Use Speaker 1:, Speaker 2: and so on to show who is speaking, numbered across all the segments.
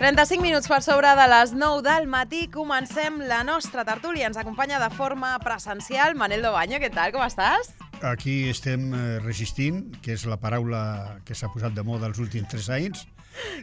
Speaker 1: 35 minuts per sobre de les 9 del matí. Comencem la nostra tertúlia. Ens acompanya de forma presencial Manel Dobaño. Què tal? Com estàs?
Speaker 2: Aquí estem resistint, que és la paraula que s'ha posat de moda els últims 3 anys,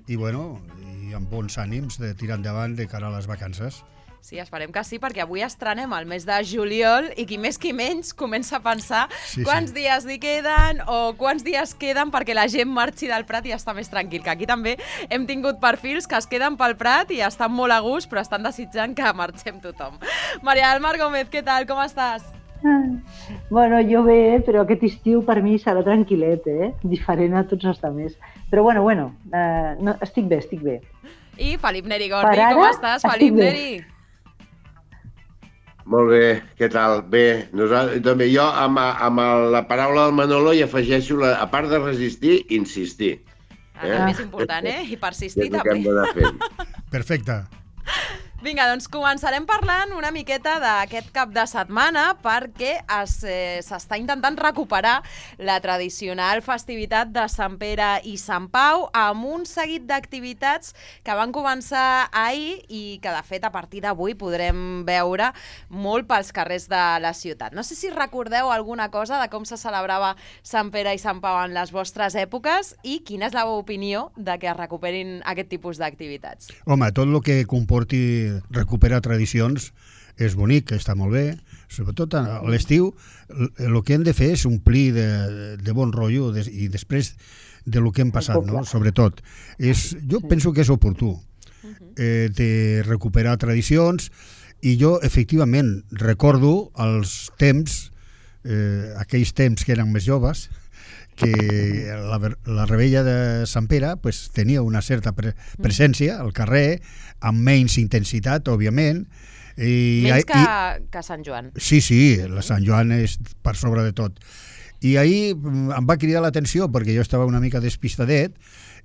Speaker 2: i amb bons ànims de tirar endavant de cara a les vacances.
Speaker 1: Sí, esperem que sí, perquè avui estrenem el mes de juliol i qui més qui menys comença a pensar quants dies li queden o quants dies queden perquè la gent marxi del Prat i està més tranquil. Que aquí també hem tingut perfils que es queden pel Prat i estan molt a gust, però estan desitjant que marxem tothom. Maria del Mar Gómez, què tal? Com estàs?
Speaker 3: Bueno, jo bé, però aquest estiu per mi serà tranquil·let, diferent a tots els altres. Però no, estic bé. I
Speaker 1: Felip Neri Gordi, com estàs, Felip Neri?
Speaker 4: Molt bé, què tal? Bé, també jo amb la paraula del Manolo hi afegeixo, a part de resistir, insistir.
Speaker 1: El més important, I persistir també.
Speaker 2: Perfecte.
Speaker 1: Vinga, doncs començarem parlant una miqueta d'aquest cap de setmana perquè s'està intentant recuperar la tradicional festivitat de Sant Pere i Sant Pau amb un seguit d'activitats que van començar ahir i que, de fet, a partir d'avui podrem veure molt pels carrers de la ciutat. No sé si recordeu alguna cosa de com se celebrava Sant Pere i Sant Pau en les vostres èpoques i quina és la vostra opinió de que es recuperin aquest tipus d'activitats.
Speaker 2: Home, tot el que comporti recuperar tradicions és bonic, està molt bé, sobretot a l'estiu el que hem de fer és omplir de bon rotllo i després de lo que hem passat, no? Sobretot. Jo penso que és oportú de recuperar tradicions i jo efectivament recordo els temps, aquells temps que eren més joves, que la rebella de Sant Pere tenia una certa presència al carrer, amb menys intensitat, òbviament.
Speaker 1: Menys que Sant Joan.
Speaker 2: Sí, la Sant Joan és per sobre de tot. I ahir em va cridar l'atenció, perquè jo estava una mica despistadet,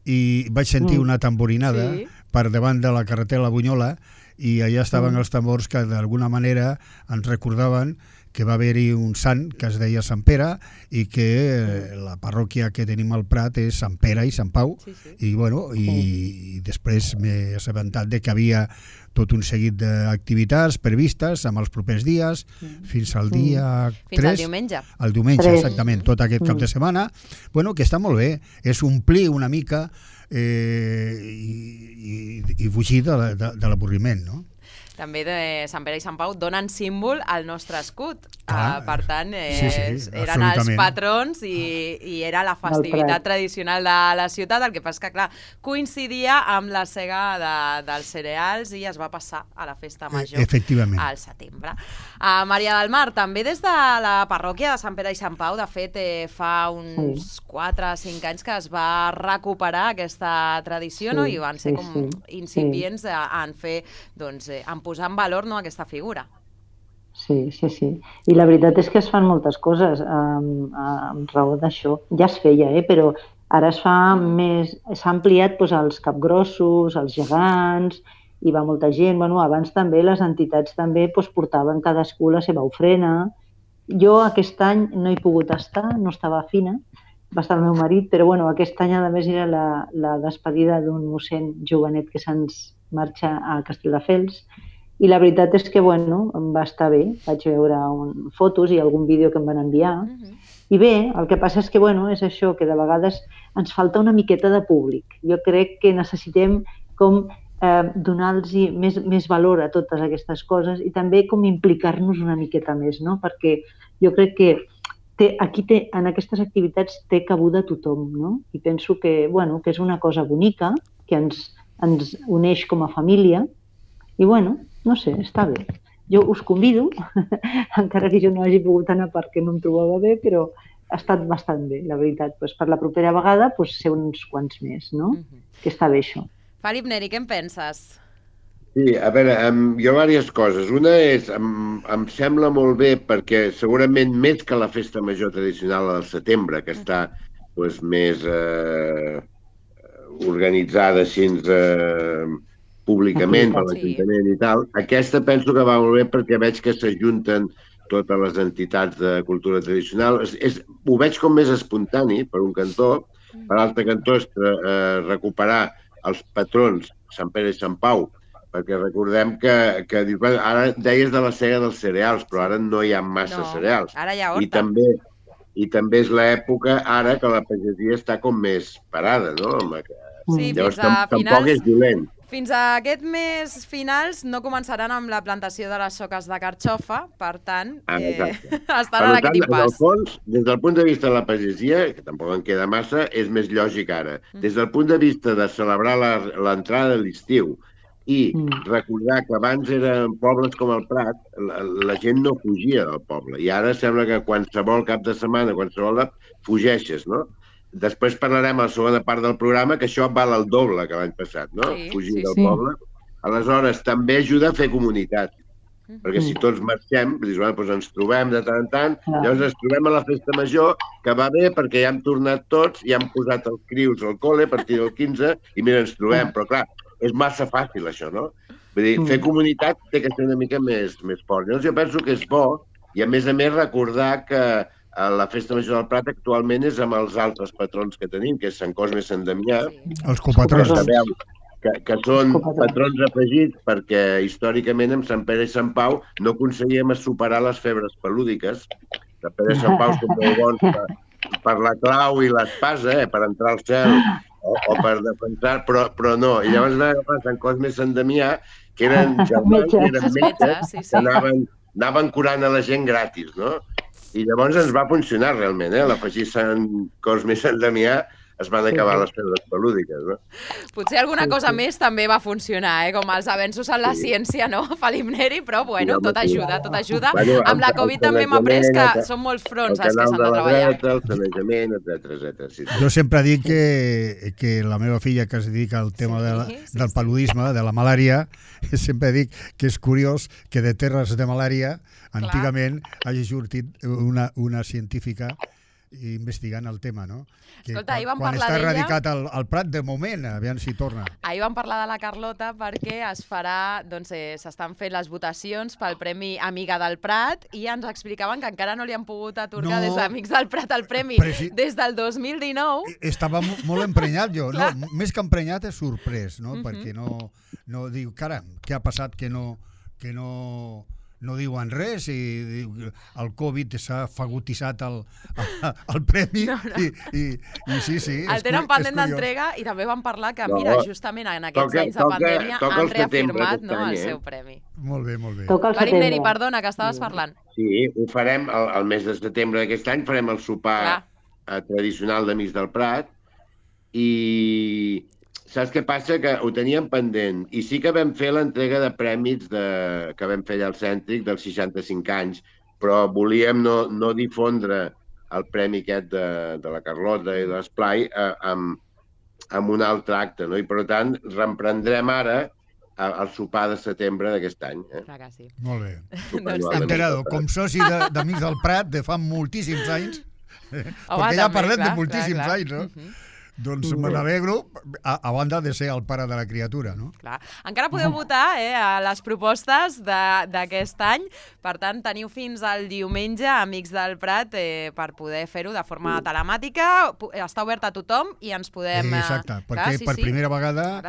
Speaker 2: i vaig sentir una tamborinada per davant de la carretera La Bunyola, i allà estaven els tambors que d'alguna manera ens recordaven que va haver-hi un sant que es deia Sant Pere i que la parròquia que tenim al Prat és Sant Pere i Sant Pau. I després m'he assabentat de que havia tot un seguit d'activitats previstes amb els propers dies fins al dia 3.
Speaker 1: Fins al diumenge.
Speaker 2: El diumenge, exactament, tot aquest cap de setmana. Que està molt bé, és omplir una mica i fugir de l'avorriment, no?
Speaker 1: També de Sant Pere i Sant Pau donen símbol al nostre escut. Per tant, eren els patrons i era la festivitat tradicional de la ciutat. El que passa és que, clar, coincidia amb la sega dels cereals i es va passar a la festa major al setembre. Maria del Mar, també des de la parròquia de Sant Pere i Sant Pau, de fet, fa uns 4 o 5 anys que es va recuperar aquesta tradició, no? I van ser com incipients en fer, en posar en valor aquesta figura.
Speaker 3: Sí. I la veritat és que es fan moltes coses amb raó d'això. Ja es feia, però ara es fa més... S'ha ampliat els capgrossos, els gegants, i va molta gent. Abans també les entitats també portaven cadascú la seva ofrena. Jo aquest any no he pogut estar, no estava fina, va estar el meu marit, però aquest any a més era la despedida d'un mossèn jovenet que se'ns marxa a Castelldefels. I la veritat és que, em va estar bé. Vaig veure fotos i algun vídeo que em van enviar. I bé, el que passa és que, és això, que de vegades ens falta una miqueta de públic. Jo crec que necessitem com donar-los més valor a totes aquestes coses i també com implicar-nos una miqueta més, no? Perquè jo crec que aquí en aquestes activitats té cabuda tothom, no? I penso que és una cosa bonica, que ens uneix com a família i, no sé, està bé. Jo us convido, encara que jo no hagi pogut anar perquè no em trobava bé, però ha estat bastant bé, la veritat. Per la propera vegada ser uns quants més, no? Que està bé això.
Speaker 1: Felip Neri, què en penses?
Speaker 4: Sí, a veure, jo diverses coses. Una és, em sembla molt bé perquè segurament més que la festa major tradicional del setembre, que està més organitzada així públicament per l'Ajuntament i tal, aquesta penso que va molt bé perquè veig que s'ajunten totes les entitats de cultura tradicional. Ho veig com més espontani, per un cantó. Per l'altre cantó és recuperar els patrons, Sant Pere i Sant Pau, perquè recordem que ara deies de la sega dels cereals, però ara no hi ha massa cereals.
Speaker 1: Ara hi ha horta.
Speaker 4: I també és l'època ara que la pagesia està com més parada, no?
Speaker 1: Sí,
Speaker 4: llavors tampoc és dolent.
Speaker 1: Fins a aquest mes finals no començaran amb la plantació de les soques de carxofa, per tant, estan en aquest impàs.
Speaker 4: En el fons, des del punt de vista de la pagesia, que tampoc en queda massa, és més lògic ara. Des del punt de vista de celebrar l'entrada de l'estiu i recordar que abans eren pobles com el Prat, la gent no fugia del poble. I ara sembla que qualsevol cap de setmana, qualsevol fugeixes, no? Després parlarem a la segona part del programa que això val el doble que l'any passat, no? Fugir del poble. Aleshores, també ajuda a fer comunitat. Perquè si tots marxem, doncs ens trobem de tant en tant, llavors ens trobem a la festa major, que va bé perquè ja hem tornat tots, ja hem posat els crius al col·le a partir del 15, i mira, ens trobem. Però clar, és massa fàcil això, no? Vull dir, fer comunitat té que ser una mica més fort. Llavors jo penso que és bo, i a més recordar que la Festa Major del Prat actualment és amb els altres patrons que tenim, que és Sant Cosme i Sant Damià.
Speaker 2: Els copatrons.
Speaker 4: Que són patrons afegits perquè històricament amb Sant Pere i Sant Pau no aconseguíem superar les febres pelúdiques. Sant Pere i Sant Pau són molt bons per la clau i l'espasa, per entrar al cel o per defensar, però no. I llavors vam agafar Sant Cosme i Sant Damià, que eren germans, que eren metges, que anaven curant a la gent gratis, no? I llavors ens va funcionar realment, l'afegir Sant Cosme i Sant Damià es van acabar les febres pelúdiques, no?
Speaker 1: Potser alguna cosa més també va funcionar, com els avenços en la ciència, no, Felip Neri, però bueno, tot ajuda. Amb la Covid també hem après que són molts fronts els que s'han de treballar.
Speaker 4: El sanejament, etc.
Speaker 2: Jo sempre dic que la meva filla, que es dedica al tema del paludisme, de la malària, sempre dic que és curiós que de terres de malària antigament hagi sortit una científica investigant el tema, no?
Speaker 1: Escolta, ahir vam
Speaker 2: quan
Speaker 1: parlar
Speaker 2: està
Speaker 1: d'ella...
Speaker 2: erradicat al Prat, de moment, aviam si torna.
Speaker 1: Ahir vam parlar de la Carlota perquè es farà, doncs s'estan fent les votacions pel Premi Amiga del Prat i ens explicaven que encara no li han pogut atorgar des d'Amics del Prat el premi des del 2019.
Speaker 2: Estava molt emprenyat jo, no? Més que emprenyat és sorprès, no? Perquè no diu, caram, què ha passat que no diuen res i el Covid s'ha fagotissat el premi i sí.
Speaker 1: El tenen pendent d'entrega i també van parlar que, mira, justament en aquests anys de pandèmia han reafirmat el seu premi.
Speaker 2: Molt bé.
Speaker 1: Felip Neri, perdona, que estaves parlant.
Speaker 4: Sí, ho farem el mes de setembre d'aquest any, farem el sopar tradicional d'Amics del Prat i... Saps què passa? Que ho teníem pendent i sí que vam fer l'entrega de prèmits que vam fer allà al Cèntric dels 65 anys, però volíem no difondre el premi aquest de la Carlota i de l'Esplai amb un altre acte, no? I per tant reemprendrem ara el sopar de setembre d'aquest any.
Speaker 1: Clar que sí.
Speaker 2: Molt bé. Enterado, com soci d'Amics del Prat de fa moltíssims anys, perquè ja parlem de moltíssims anys, no? Doncs me n'alegro, a banda de ser el pare de la criatura, no?
Speaker 1: Clar. Encara podeu votar a les propostes d'aquest any, per tant, teniu fins al diumenge, Amics del Prat, per poder fer-ho de forma telemàtica, està obert a tothom i ens podem...
Speaker 2: Exacte, perquè per primera vegada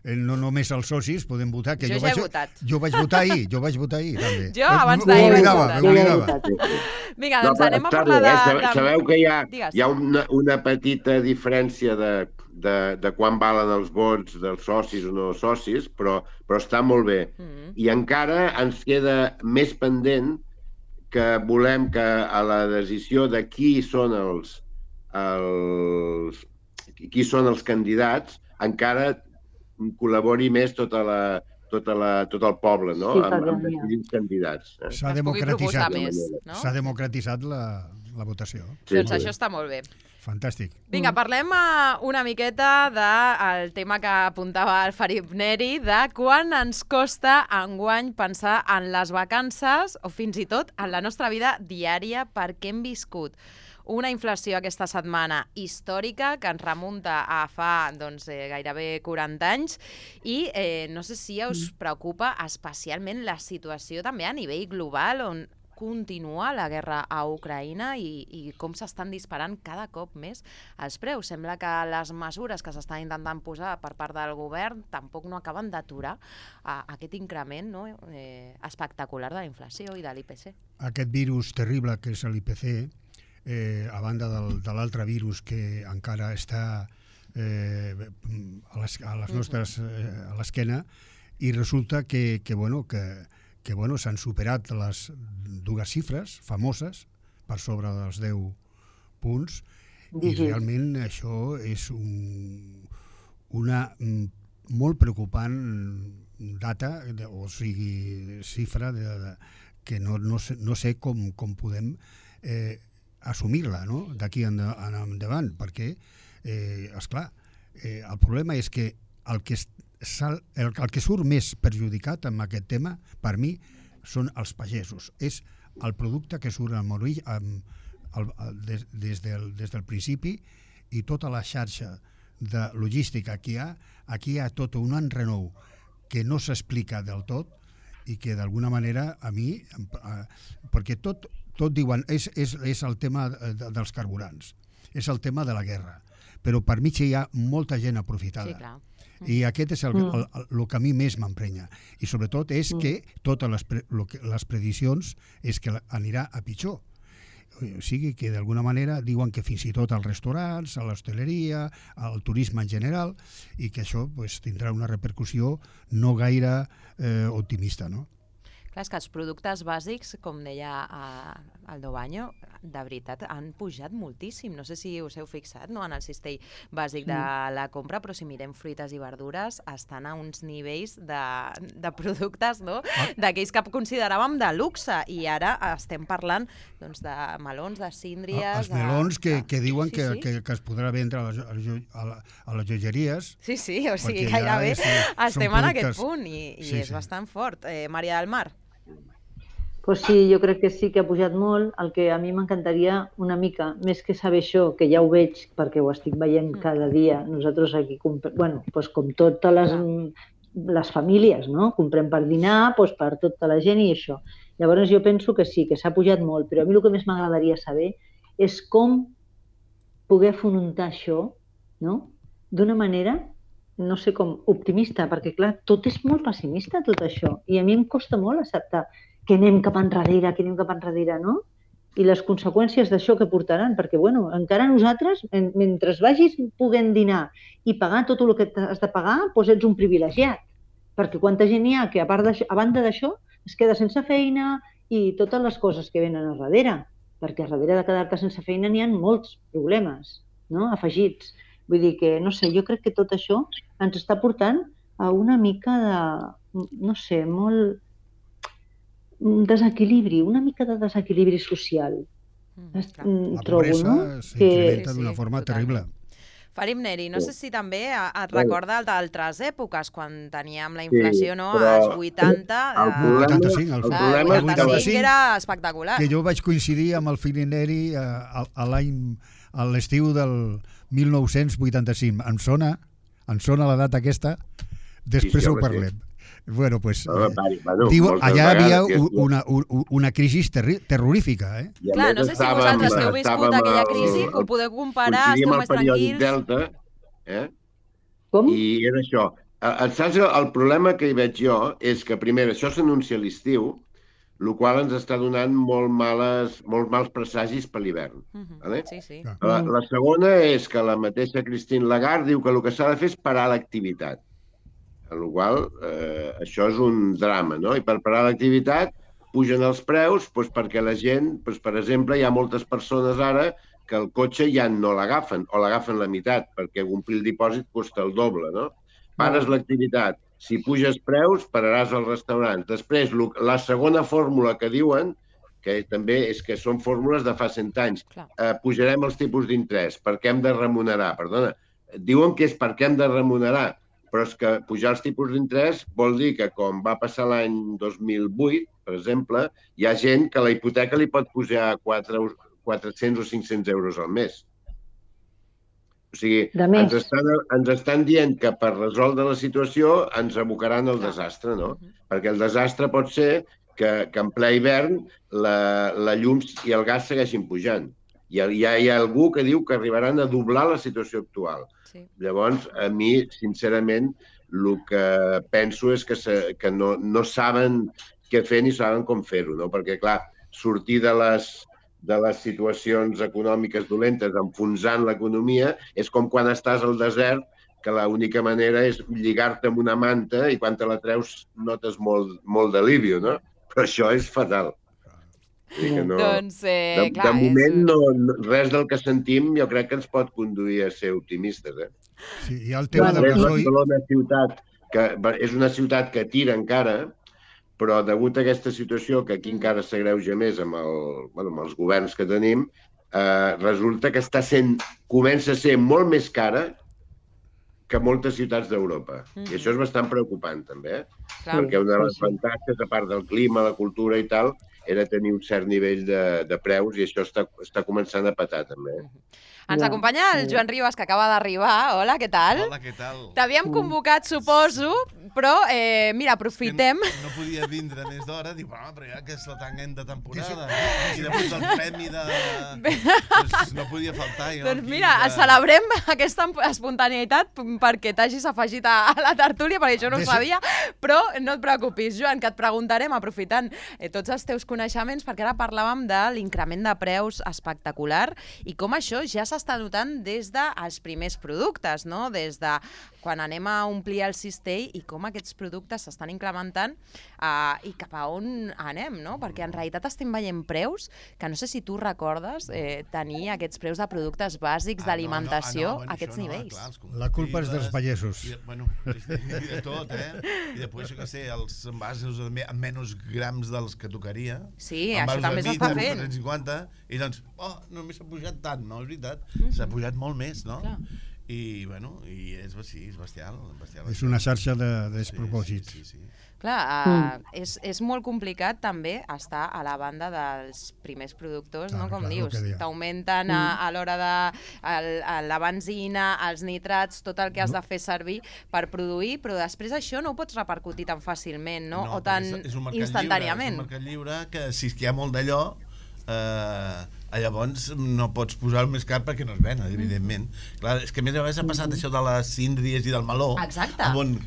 Speaker 2: no només els socis podem votar, que
Speaker 1: jo ja he votat.
Speaker 2: Jo vaig votar ahir, també.
Speaker 1: Jo abans d'ahir vaig votar.
Speaker 2: M'oblidava.
Speaker 1: Vinga, doncs anem a parlar de...
Speaker 4: Sabeu que hi ha una petita diferència de quan valen els vots dels socis o no socis, però està molt bé. I encara ens queda més pendent que volem que a la decisió de qui són els candidats encara col·labori més tot el poble, no? Amb decidir els candidats.
Speaker 2: S'ha democratitzat la votació.
Speaker 1: Doncs això està molt bé.
Speaker 2: Fantàstic.
Speaker 1: Vinga, parlem una miqueta del tema que apuntava el Felip Neri, de quan ens costa enguany pensar en les vacances o fins i tot en la nostra vida diària perquè hem viscut una inflació aquesta setmana històrica que ens remunta a fa gairebé 40 anys i no sé si us preocupa especialment la situació també a nivell global on continua la guerra a Ucraïna i com s'estan disparant cada cop més els preus. Sembla que les mesures que s'estan intentant posar per part del govern tampoc no acaben d'aturar aquest increment espectacular de la inflació i de l'IPC.
Speaker 2: Aquest virus terrible que és l'IPC, a banda de l'altre virus que encara està a les nostres a l'esquena, i resulta que s'han superat les dues xifres famoses per sobre dels 10 punts i realment això és una molt preocupant data, o sigui, xifra que no sé com podem assumir-la d'aquí endavant, perquè, esclar, el problema és que el que surt més perjudicat amb aquest tema, per mi, són els pagesos. És el producte que surt al moroll des del principi i tota la xarxa de logística que hi ha. Aquí hi ha tot un enrenou que no s'explica del tot i que d'alguna manera a mi, perquè tot diuen és el tema dels carburants, és el tema de la guerra, però per mig hi ha molta gent aprofitada. Sí, clar. I aquest és el que a mi més m'emprenya. I sobretot és que totes les prediccions és que anirà a pitjor. O sigui que d'alguna manera diuen que fins i tot als restaurants, a l'hostaleria, al turisme en general, i que això tindrà una repercussió no gaire optimista, no?
Speaker 1: Clar, és que els productes bàsics, com deia Aldo Baño, de veritat han pujat moltíssim. No sé si us heu fixat en el cistell bàsic de la compra, però si mirem fruites i verdures estan a uns nivells de productes d'aquells que consideràvem de luxe, i ara estem parlant de melons, de síndries...
Speaker 2: Els melons que diuen que es podrà vendre a les joieries.
Speaker 1: Sí, o sigui, gairebé estem en aquest punt i és bastant fort. Maria del Mar?
Speaker 3: Pues sí, jo crec que sí que ha pujat molt. El que a mi m'encantaria una mica, més que saber això, que ja ho veig perquè ho estic veient cada dia, nosaltres aquí, com totes les famílies, comprem per dinar, per tota la gent i això. Llavors jo penso que sí, que s'ha pujat molt, però a mi el que més m'agradaria saber és com poder afrontar això d'una manera, no sé com, optimista, perquè clar, tot és molt pessimista tot això, i a mi em costa molt acceptar que anem cap enrere, no? I les conseqüències d'això que portaran, perquè, encara nosaltres, mentre vagis podent dinar i pagar tot el que has de pagar, ets un privilegiat. Perquè quanta gent hi ha que, a banda d'això, es queda sense feina i totes les coses que venen a darrere. Perquè a darrere de quedar-te sense feina n'hi ha molts problemes, afegits. Vull dir que, no sé, jo crec que tot això ens està portant a una mica de, no sé, molt... desequilibri, una mica de desequilibri social.
Speaker 2: La pobresa s'incrementa d'una forma terrible.
Speaker 1: Farim Neri, no sé si també et recorda d'altres èpoques, quan teníem la inflació als 80...
Speaker 2: El
Speaker 1: 85 era espectacular.
Speaker 2: Que jo vaig coincidir amb el Farim Neri a l'estiu del 1985. Em sona la data aquesta, després ho parlem. Bueno, pues allà havia una crisi terrorífica, eh?
Speaker 1: Clar, no sé si vosaltres que heu viscut aquella crisi, que ho podeu comparar, esteu més tranquils.
Speaker 4: Delta, com? I era això. Saps, el problema que hi veig jo és que, primer, això s'anuncia a l'estiu, el qual ens està donant molt mals presagis per l'hivern.
Speaker 1: Sí.
Speaker 4: La segona és que la mateixa Christine Lagarde diu que el que s'ha de fer és parar l'activitat. En la qual això és un drama, no? I per parar l'activitat pugen els preus perquè la gent, per exemple, hi ha moltes persones ara que el cotxe ja no l'agafen, o l'agafen la meitat, perquè omplir el dipòsit costa el doble, no? Pares l'activitat. Si puges preus, pararàs als restaurants. Després, la segona fórmula que diuen, que també és que són fórmules de fa 100 anys, pujarem els tipus d'interès, perquè hem de remunerar. Perdona, diuen que és perquè hem de remunerar, però és que pujar els tipus d'interès vol dir que, com va passar l'any 2008, per exemple, hi ha gent que la hipoteca li pot pujar 400 o 500 euros al mes. O sigui, ens estan dient que per resoldre la situació ens abocaran al desastre, no? Perquè el desastre pot ser que en ple hivern la llum i el gas segueixin pujant. Hi ha algú que diu que arribaran a doblar la situació actual. Sí. Llavors, a mi, sincerament, el que penso és que no saben què fer ni saben com fer-ho, no? Perquè, clar, sortir de les situacions econòmiques dolentes enfonsant l'economia és com quan estàs al desert, que l'única manera és lligar-te amb una manta i quan te la treus notes molt d'alívio, no? Però això és fatal. No,
Speaker 1: doncs,
Speaker 4: de moment, res del que sentim jo crec que ens pot conduir a ser optimistes.
Speaker 2: Sí, hi ha el tema del gasoil.
Speaker 4: És una ciutat que tira encara, però degut a aquesta situació, que aquí encara s'agreuja més amb els governs que tenim, resulta que comença a ser molt més cara que moltes ciutats d'Europa. I això és bastant preocupant, també, perquè una de les avantatges, a part del clima, la cultura i tal, era tenir un cert nivell de preus i això està començant a petar, també.
Speaker 1: Ens acompanya el Joan Ribas, que acaba d'arribar. Hola, què tal?
Speaker 5: Hola, què tal?
Speaker 1: T'havíem convocat, suposo, però, mira, aprofitem...
Speaker 5: No podia vindre més d'hora, dic, però ja que és la tanguent de temporada, i després el premi de... No podia faltar.
Speaker 1: Doncs mira, celebrem aquesta espontaneïtat perquè t'hagis afegit a la tertúlia, perquè això no ho sabia, però no et preocupis, Joan, que et preguntarem, aprofitant tots els teus coneixements, perquè ara parlàvem de l'increment de preus espectacular i com això ja s'està notant des dels primers productes, no? Des de quan anem a omplir el cistell i com aquests productes s'estan incrementant i cap a on anem, no? Perquè en realitat estem veient preus que no sé si tu recordes tenir aquests preus de productes bàsics d'alimentació a aquests nivells.
Speaker 2: La culpa és dels pagesos.
Speaker 5: Bueno, i de tot, I després, jo què sé, els envasos amb menys grams dels que tocaria.
Speaker 1: Sí, això també s'està fent.
Speaker 5: 350, i doncs, només s'ha pujat tant, no? És veritat, s'ha pujat molt més, no? I, bueno, és bestial.
Speaker 2: És una xarxa de despropòsits.
Speaker 5: Sí.
Speaker 1: Clar, és molt complicat també estar a la banda dels primers productors, no? Com dius, t'augmenten a l'hora de la benzina, els nitrats, tot el que has de fer servir per produir, però després això no ho pots repercutir tan fàcilment, no? O tan instantàniament.
Speaker 5: És un mercat lliure que si hi ha molt d'allò, llavors no pots posar el més car perquè no es ven, evidentment. Clar, és que a més a més ha passat això de les síndries i del meló.
Speaker 1: Exacte.
Speaker 5: On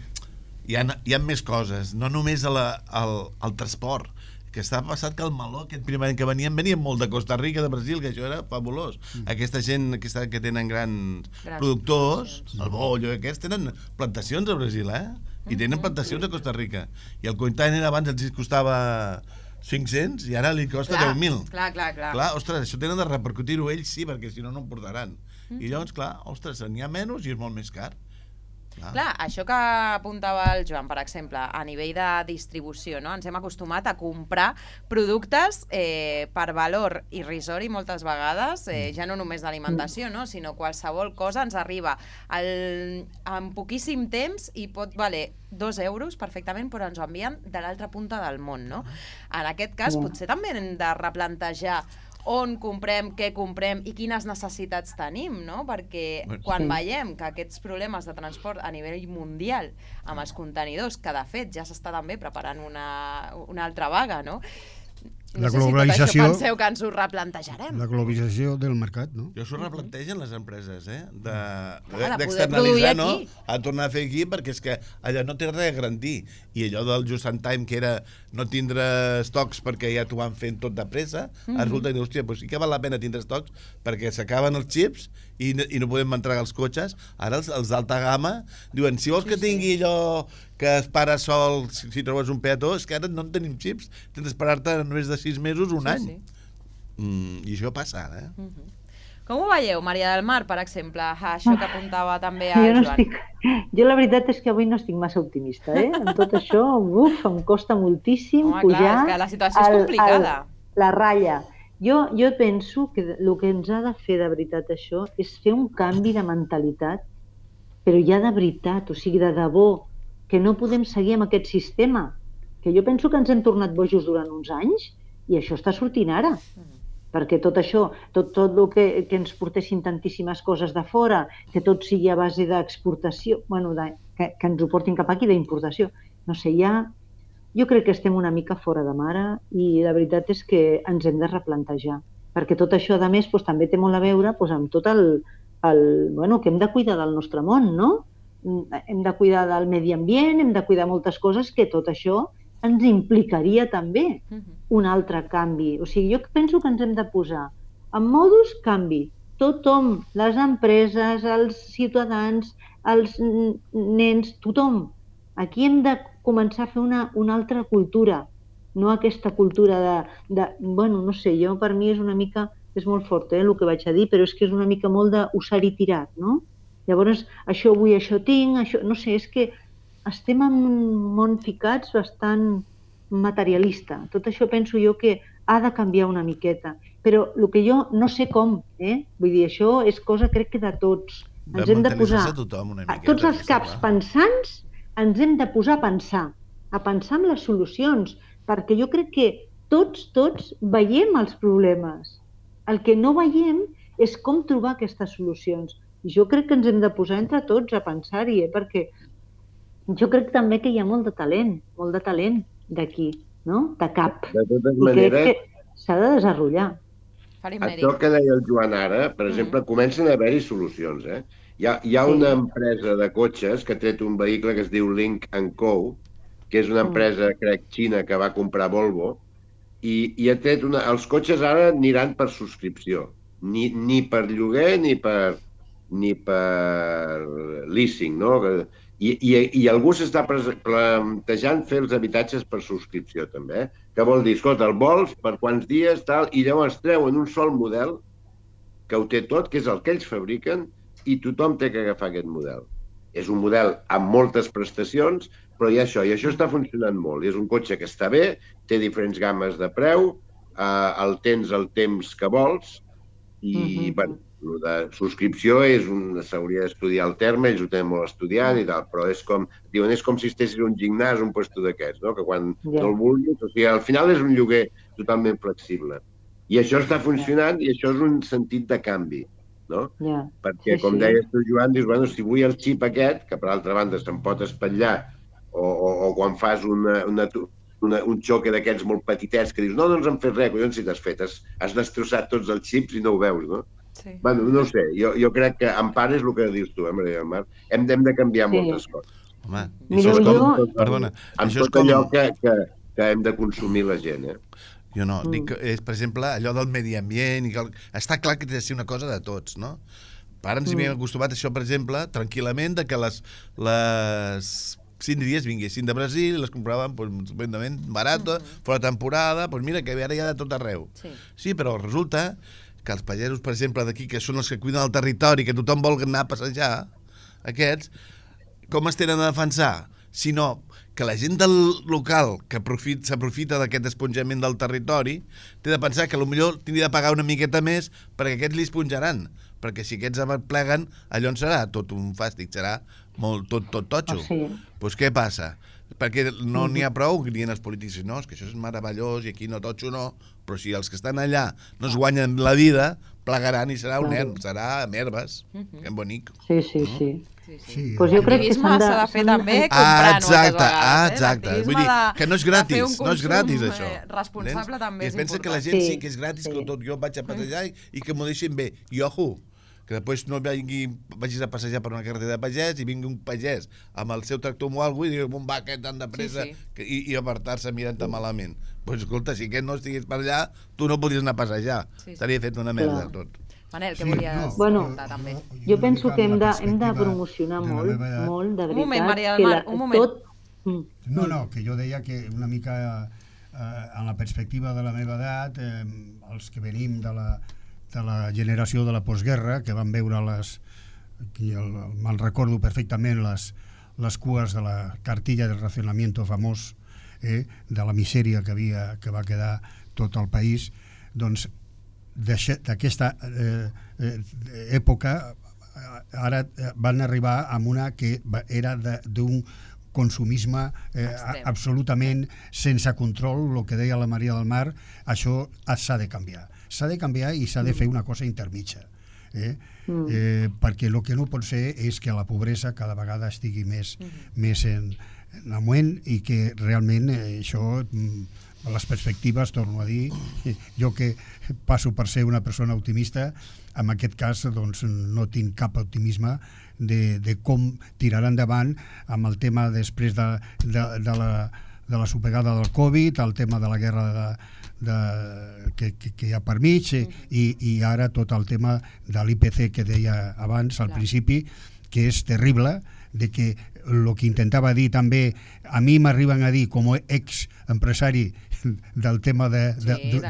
Speaker 5: hi ha més coses, no només el transport, que està passat que el meló, aquest primer any que venien molt de Costa Rica, de Brasil, que això era fabulós. Aquesta gent que tenen grans productors, el bollo, aquests, tenen plantacions a Brasil, i tenen plantacions a Costa Rica. I el container abans els costava 500 i ara li costa 10.000.
Speaker 1: Clar.
Speaker 5: Ostres, això tenen de repercutir-ho ells, sí, perquè si no, no em portaran. I llavors, clar, ostres, n'hi ha menys i és molt més car.
Speaker 1: Clar, això que apuntava el Joan, per exemple, a nivell de distribució, no? Ens hem acostumat a comprar productes per valor irrisori moltes vegades, ja no només d'alimentació, no? Sinó qualsevol cosa ens arriba en poquíssim temps i pot valer 2 euros perfectament, però ens ho envien de l'altra punta del món, no? En aquest cas, potser també hem de replantejar on comprem, què comprem i quines necessitats tenim, no? Perquè quan veiem que aquests problemes de transport a nivell mundial amb els contenidors, que de fet ja s'està també preparant una altra vaga, no? No sé si tot això penseu que ens ho replantejarem.
Speaker 2: La globalització del mercat, no?
Speaker 5: Jo s'ho replantegen les empreses, d'externalitzar, no? A tornar a fer aquí, perquè és que allò no té res a garantir. I allò del just in time, que era no tindre estocs perquè ja t'ho van fent tot de pressa, resulta que, hòstia, sí que val la pena tindre estocs perquè s'acaben els xips i no podem entregar els cotxes. Ara els d'alta gamma diuen, si vols que tingui allò que es para sol si trobes un peató, és que ara no en tenim xips, tens d'esperar-te només de 6 mesos, un any. I això passa ara,
Speaker 1: Com ho veieu, Maria del Mar, per exemple? Això que apuntava també a Joan.
Speaker 3: Jo la veritat és que avui no estic massa optimista, Amb tot això, em costa moltíssim pujar...
Speaker 1: És que la situació és complicada.
Speaker 3: La ratlla. Jo penso que el que ens ha de fer de veritat això és fer un canvi de mentalitat, però ja de veritat, o sigui, de debò, que no podem seguir amb aquest sistema, que jo penso que ens hem tornat bojos durant uns anys i això està sortint ara. Perquè tot això, tot el que ens portessin tantíssimes coses de fora, que tot sigui a base d'exportació, que ens ho portin cap aquí, d'importació. No sé, hi ha jo crec que estem una mica fora de mare i la veritat és que ens hem de replantejar, perquè tot això, a més, també té molt a veure amb tot que hem de cuidar del nostre món, no? Hem de cuidar del medi ambient, hem de cuidar moltes coses que tot això ens implicaria també un altre canvi. O sigui, jo penso que ens hem de posar en modus canvi. Tothom, les empreses, els ciutadans, els nens, tothom. Aquí hem de començar a fer una altra cultura, no aquesta cultura no sé, jo per mi és una mica, és molt fort el que vaig a dir, però és que és una mica molt d'usar i tirat, no? Llavors, això vull, això tinc, això... No sé, és que estem en un món ficats bastant materialista. Tot això penso jo que ha de canviar una miqueta. Però el que jo no sé com, vull dir, això és cosa, crec que de tots. Ens hem de posar... Tots els caps pensants ens hem de posar a pensar en les solucions, perquè jo crec que tots veiem els problemes. El que no veiem és com trobar aquestes solucions. I jo crec que ens hem de posar entre tots a pensar-hi, perquè jo crec també que hi ha molt de talent d'aquí, no? De cap.
Speaker 4: De totes maneres...
Speaker 3: I crec que s'ha de desenvolupar.
Speaker 4: Això que deia el Joan ara, per exemple, comencen a haver-hi solucions, Hi ha una empresa de cotxes que ha tret un vehicle que es diu Lynk & Co, que és una empresa, crec, xina, que va comprar Volvo, i ha tret els cotxes ara aniran per subscripció, ni per lloguer ni per leasing, no? I algú s'està plantejant fer els habitatges per subscripció, també. Que vol dir, escolta, el vols, per quants dies, tal, i llavors treuen un sol model que ho té tot, que és el que ells fabriquen, i tothom té que agafar aquest model. És un model amb moltes prestacions, però hi ha això, i això està funcionant molt. És un cotxe que està bé, té diferents gammes de preu, el tens el temps que vols, i de subscripció s'hauria d'estudiar el terme, ells ho tenen molt estudiat i tal, però és com si estessis un gimnàs, un puesto d'aquests, no? Que quan no el vulguis, o sigui, al final és un lloguer totalment flexible. I això està funcionant i això és un sentit de canvi, no? Perquè, com deies tu, Joan, dius, bueno, si vull el xip aquest, que per altra banda se'n pot espatllar, o quan fas un xoque d'aquests molt petitets que dius, no ens han fet res, collons, si t'has fet, has destrossat tots els xips i no ho veus, no? Bueno, no ho sé, jo crec que en part és el que dius tu, Maria del Mar, hem de canviar moltes coses.
Speaker 5: Home, això és com... Perdona.
Speaker 4: Amb tot allò que hem de consumir la gent,
Speaker 5: Jo no, dic, per exemple, allò del medi ambient, està clar que té de ser una cosa de tots, no? Ara ens hi havíem acostumat això, per exemple, tranquil·lament, que les síndries vinguessin de Brasil i les compraven estupendament barata, fora temporada, doncs mira, que ara hi ha de tot arreu. Sí, però resulta que els pagesos, per exemple, d'aquí, que són els que cuiden el territori, que tothom vol anar a passejar, aquests, com es tenen a defensar? Sinó que la gent del local que s'aprofita d'aquest esponjament del territori té de pensar que potser tindria de pagar una miqueta més perquè aquests li esponjaran, perquè si aquests pleguen, allò en serà tot un fàstic, serà tot totxo. Doncs què passa? Perquè no n'hi ha prou, dient els polítics, no, és que això és meravellós i aquí no totxo no, però si els que estan allà no es guanyen la vida, plegaran i serà serà merbes, que bonic.
Speaker 3: Sí.
Speaker 1: Pues jo crec que s'ha de fer també comprant moltes vegades.
Speaker 5: Exacte. Vull dir que no és gratis, això.
Speaker 1: Responsable també és important.
Speaker 5: I es pensa que la gent sí que és gratis, que tot jo vaig a passejar i que m'ho deixin bé. I ojo, que després no vagis a passejar per una carretera de pagès i vingui un pagès amb el seu tractor o alguna cosa i digui, on va aquest tan de pressa, i apartar-se mirant-te malament. Doncs escolta, si aquest no estigués per allà, tu no podries anar a passejar. Estaria fet una merda tot.
Speaker 1: Manel, què volies comentar també?
Speaker 3: Jo penso que hem de promocionar molt, de veritat.
Speaker 1: Un moment, Maria del Mar, un moment.
Speaker 2: No, que jo deia que una mica en la perspectiva de la meva edat, els que venim de la generació de la postguerra, que van veure me'n recordo perfectament les cues de la cartilla de racionamiento famós, de la misèria que va quedar tot el país, doncs d'aquesta època ara van arribar amb una que era d'un consumisme absolutament sense control, el que deia la Maria del Mar. Això s'ha de canviar. S'ha de canviar i s'ha de fer una cosa intermitja. Perquè el que no pot ser és que la pobresa cada vegada estigui més en augment i que realment això, les perspectives, torno a dir, jo que passo per ser una persona optimista, en aquest cas doncs, no tinc cap optimisme de com tirar endavant amb el tema després de la sopegada del Covid, el tema de la guerra que hi ha per mig i ara tot el tema de l'IPC que deia abans al principi, que és terrible, de que el que intentava dir també, a mi m'arriben a dir com a ex-empresari del tema de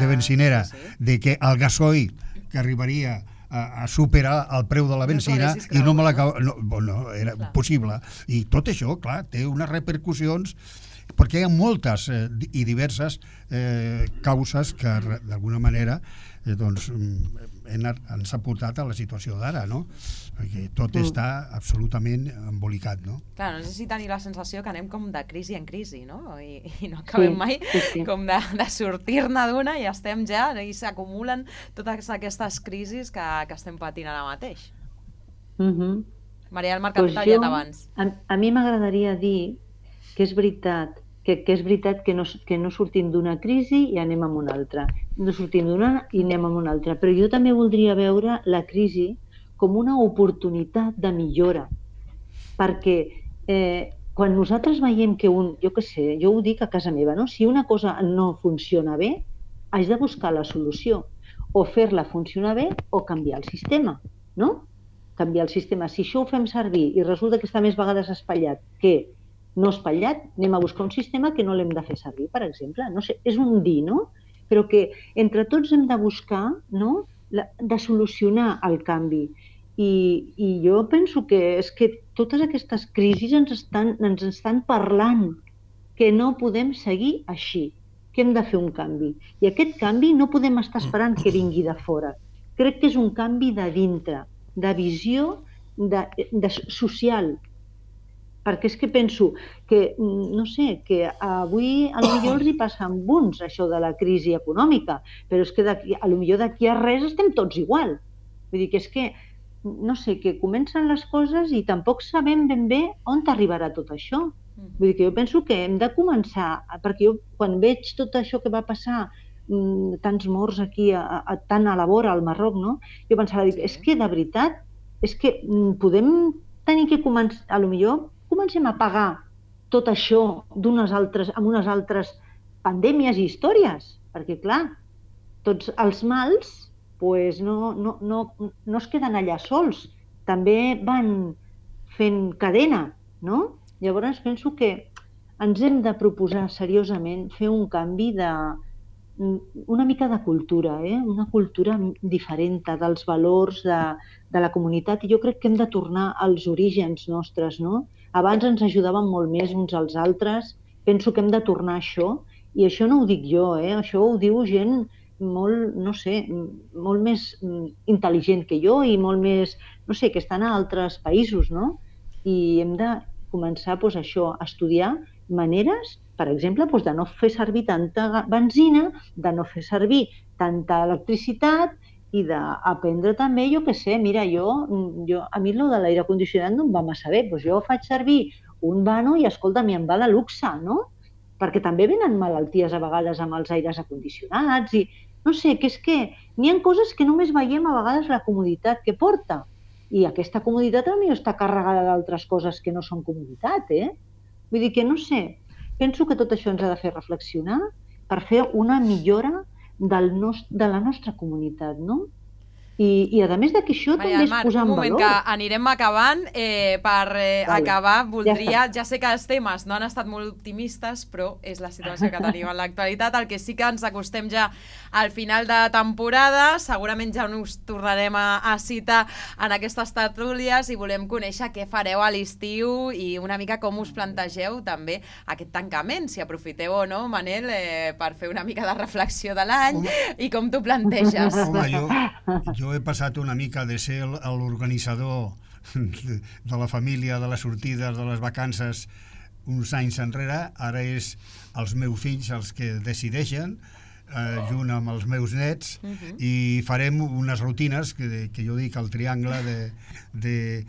Speaker 2: benzinera, de que el gasoil que arribaria a superar el preu de la benzina i no me l'acaba... No, era impossible. I tot això, clar, té unes repercussions perquè hi ha moltes i diverses causes que d'alguna manera doncs, ens ha portat a la situació d'ara, no? Perquè tot està absolutament embolicat, no?
Speaker 1: Clar, no sé si tenir la sensació que anem com de crisi en crisi, no? I no acabem mai com de sortir-ne d'una i estem ja, i s'acumulen totes aquestes crisis que estem patint ara mateix. Maria del Mar, que t'ha tallat abans.
Speaker 3: A mi m'agradaria dir que és veritat que no sortim d'una crisi i anem a una altra. No sortim d'una i anem a una altra. Però jo també voldria veure la crisi com una oportunitat de millora. Perquè quan nosaltres veiem que jo què sé, jo ho dic a casa meva, no? Si una cosa no funciona bé, haig de buscar la solució. O fer-la funcionar bé o canviar el sistema, no? Canviar el sistema. Si això ho fem servir i resulta que està més vegades espatllat que no espatllat, anem a buscar un sistema que no l'hem de fer servir, per exemple. No sé, és un dir, no? Però que entre tots hem de buscar, no?, de solucionar el canvi. I jo penso que és que totes aquestes crisis ens estan parlant que no podem seguir així, que hem de fer un canvi. I aquest canvi no podem estar esperant que vingui de fora. Crec que és un canvi de dintre, de visió social. Perquè és que penso que, no sé, que avui potser els hi passa amb uns això de la crisi econòmica, però és que potser d'aquí a res estem tots igual. Vull dir que és que, no sé, que comencen les coses i tampoc sabem ben bé on arribarà tot això. Vull dir que jo penso que hem de començar, perquè jo quan veig tot això que va passar, tants morts aquí, tant a la vora, al Marroc, no? Jo pensava, és que de veritat, és que podem tenir que començar, potser comencem a pagar tot això amb unes altres pandèmies i històries, perquè clar, tots els mals no es queden allà sols, també van fent cadena, no? Llavors penso que ens hem de proposar seriosament fer un canvi una mica de cultura, una cultura diferent dels valors de la comunitat, i jo crec que hem de tornar als orígens nostres, no? Abans ens ajudaven molt més uns als altres, penso que hem de tornar a això, i això no ho dic jo, això ho diu gent molt, no sé, molt més intel·ligent que jo i molt més, no sé, que estan a altres països, no? I hem de començar això, a estudiar maneres, per exemple, de no fer servir tanta benzina, de no fer servir tanta electricitat i d'aprendre també, jo què sé, mira, a mi de l'aire condicionat no em va massa bé, doncs jo faig servir un vano i, escolta, em va de luxe, no? Perquè també venen malalties a vegades amb els aires acondicionats i, no sé, que és que n'hi ha coses que només veiem a vegades la comoditat que porta. I aquesta comoditat potser està carregada d'altres coses que no són comoditat, Vull dir que, no sé, penso que tot això ens ha de fer reflexionar per fer una millora de la nostra comunitat, no? I a més que això també és posar en valor.
Speaker 1: Un moment, que anirem acabant. Per acabar, voldria... Ja sé que els temes no han estat molt optimistes, però és la situació que tenim en l'actualitat. El que sí que ens acostem ja al final de temporada. Segurament ja us tornarem a citar en aquestes tertúlies i volem conèixer què fareu a l'estiu i una mica com us plantegeu també aquest tancament, si aprofiteu o no, Manel, per fer una mica de reflexió de l'any i com t'ho planteges.
Speaker 2: Home, jo he passat una mica de ser l'organitzador de la família, de les sortides, de les vacances uns anys enrere. Ara és els meus fills els que decideixen junt amb els meus nets, i farem unes rutines que jo dic el triangle de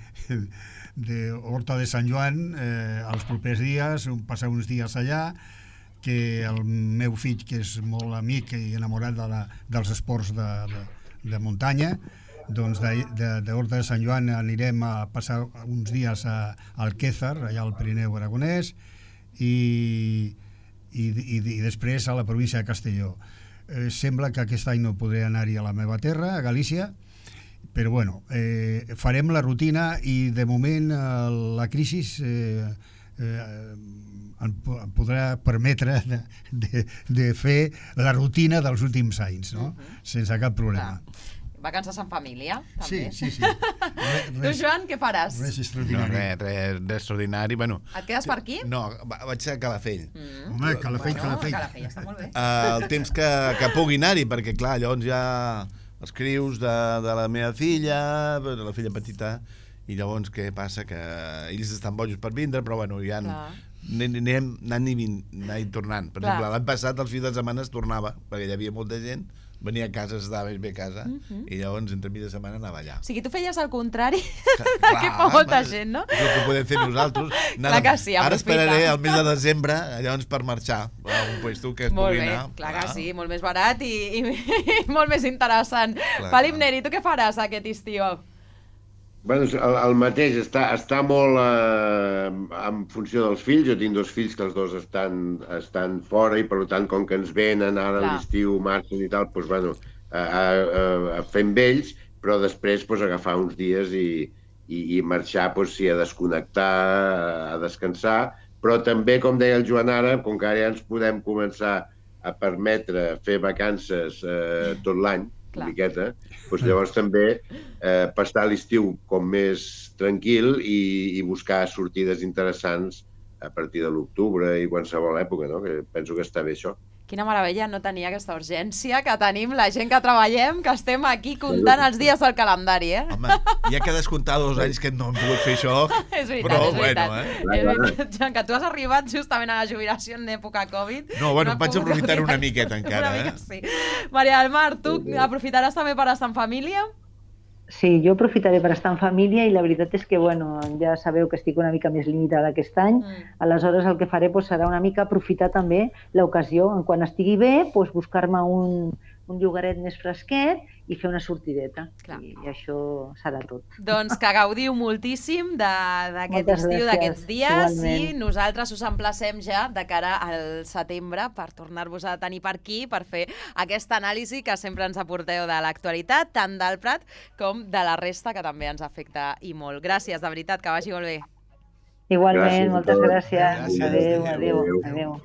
Speaker 2: Horta de Sant Joan els propers dies, passar uns dies allà, que el meu fill, que és molt amic i enamorat dels esports de muntanya, doncs d'Horta de Sant Joan anirem a passar uns dies a Alquézar, allà al Pirineu Aragonès, i després a la província de Castelló. Sembla que aquest any no podré anar-hi a la meva terra, a Galícia, però bueno, farem la rutina i de moment la crisi em podrà permetre de fer la rutina dels últims anys, no? Sense cap problema.
Speaker 1: Vacances en família, també.
Speaker 2: Sí.
Speaker 1: Tu, Joan, què faràs?
Speaker 2: Res extraordinari.
Speaker 5: No, res d'extraordinari. Bueno,
Speaker 1: et quedes per aquí?
Speaker 5: No, vaig a Calafell.
Speaker 2: Home, Calafell.
Speaker 1: Calafell està molt bé.
Speaker 5: El temps que pugui anar-hi, perquè clar, llavors ja els crius de la meva filla, de la filla petita, i llavors què passa? Que ells estan bojos per vindre, però bueno, ja anem anant i tornant. Per exemple, l'any passat, els fins de setmana es tornava, perquè hi havia molta gent, venia a casa, estava bé a casa, i llavors entre mig de setmana anava allà.
Speaker 1: O sigui, tu feies el contrari que fa molta gent, no?
Speaker 5: És el que podem fer nosaltres.
Speaker 1: Clar que sí,
Speaker 5: ara esperaré el mes de desembre, llavors per marxar a un puesto que es pugui anar.
Speaker 1: Molt bé, clar que sí, molt més barat i molt més interessant. Felip Neri, tu què faràs aquest estiu?
Speaker 4: Bueno, el mateix, està molt en funció dels fills. Jo tinc dos fills que els dos estan fora i per tant, com que ens venen ara a l'estiu, marxen i tal, doncs bueno, fem vells, però després agafar uns dies i marxar, sí, a desconnectar, a descansar, però també, com deia el Joan ara, com que ara ja ens podem començar a permetre fer vacances tot l'any, una miqueta, doncs llavors també passar l'estiu com més tranquil i buscar sortides interessants a partir de l'octubre i qualsevol època, no? Que penso que està bé això.
Speaker 1: Quina meravella no tenir aquesta urgència que tenim la gent que treballem, que estem aquí comptant els dies del calendari, eh?
Speaker 5: Home, ja que descomptar 2 anys que no hem pogut fer això,
Speaker 1: és veritat,
Speaker 5: però
Speaker 1: és veritat.
Speaker 5: Bueno,
Speaker 1: És veritat, Joan, que tu has arribat justament a la jubilació en època Covid.
Speaker 5: No, bueno, vaig aprofitar una miqueta encara,
Speaker 1: una mica, sí. Maria del Mar, tu aprofitaràs també per estar en família?
Speaker 3: Sí, jo aprofitaré per estar en família i la veritat és que, bueno, ja sabeu que estic una mica més limitada aquest any, aleshores el que faré serà una mica aprofitar també l'ocasió, quan estigui bé, buscar-me un llogaret més fresquet i fer una sortideta. I això serà tot.
Speaker 1: Doncs que gaudiu moltíssim d'aquest estiu, d'aquests dies, i nosaltres us emplacem ja de cara al setembre per tornar-vos a tenir per aquí, per fer aquesta anàlisi que sempre ens aporteu de l'actualitat, tant del Prat com de la resta, que també ens afecta i molt. Gràcies, de veritat, que vagi molt bé.
Speaker 3: Igualment, moltes gràcies. Adéu.